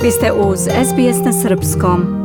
Vi ste uz SBS na srpskom.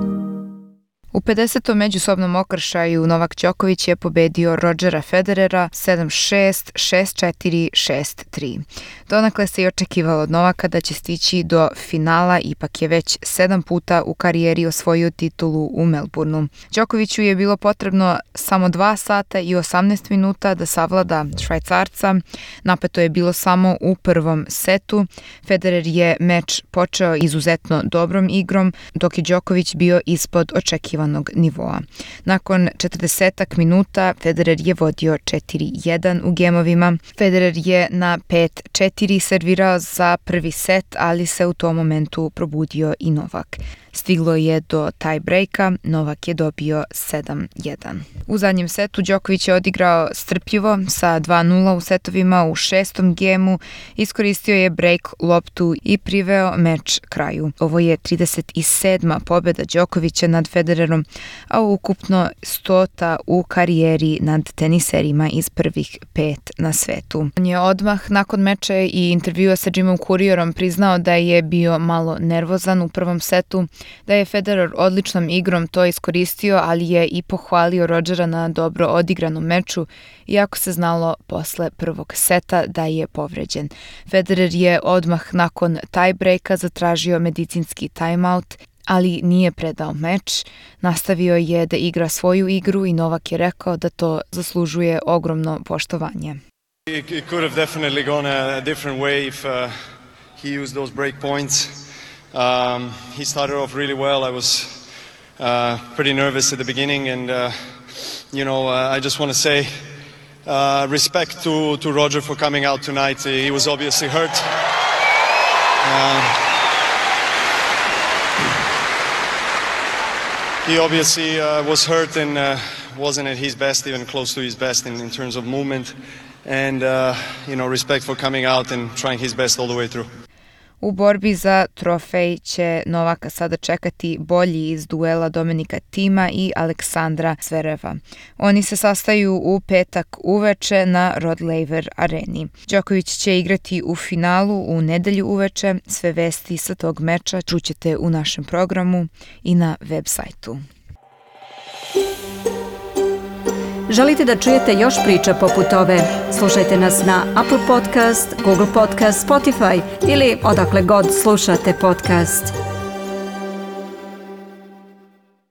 U 50. međusobnom okršaju Novak Đoković je pobedio Rodgera Federera 7-6, 6-4, 6-3. Donekle se i očekivalo od Novaka da će stići do finala, ipak je već 7 puta u karijeri osvojio titulu u Melbourneu. Đokoviću je bilo potrebno samo 2 sata i 18 minuta da savlada Švajcarca. Napeto je bilo samo u prvom setu. Federer je meč počeo izuzetno dobrom igrom, dok je Đoković bio ispod očekivanog nivoa. Nakon 40 minuta Federer je vodio 4-1 u gemovima. Federer je na 5-4 servirao za prvi set, ali se u tom momentu probudio i Novak. Stiglo je do tie breaka, Novak je dobio 7-1. U zadnjem setu Đoković je odigrao strpljivo sa 2-0 u setovima u 6. gemu, iskoristio je break loptu i priveo meč kraju. Ovo je 37. pobjeda Đokovića nad Federerom, a ukupno 100. u karijeri nad teniserima iz prvih 5 na svetu. On je odmah nakon meča i intervjua sa Jimom Courierom priznao da je bio malo nervozan u prvom setu, da je Federer odličnom igrom to iskoristio, ali je i pohvalio Rodgera na dobro odigranom meču, iako se znalo posle prvog seta da je povređen. Federer je odmah nakon tie-breaka zatražio medicinski timeout, ali nije predao meč. Nastavio je da igra svoju igru i Novak je rekao da to zaslužuje ogromno poštovanje. It could have definitely gone a different way if he used those break points. He started off really well. I was pretty nervous at the beginning, and I just want to say respect to Roger for coming out tonight. He was obviously hurt. He obviously was hurt and wasn't at his best, even close to his best in terms of movement. And respect for coming out and trying his best all the way through. U borbi za trofej će Novaka sada čekati bolji iz duela Dominika Thima i Aleksandra Zvereva. Oni se sastaju u petak uveče na Rod Laver areni. Đoković će igrati u finalu u nedelju uveče. Sve vesti sa tog meča čućete u našem programu i na web sajtu. Želite da čujete još priča poput ove? Slušajte nas na Apple Podcast, Google Podcast, Spotify ili odakle god slušate podcast.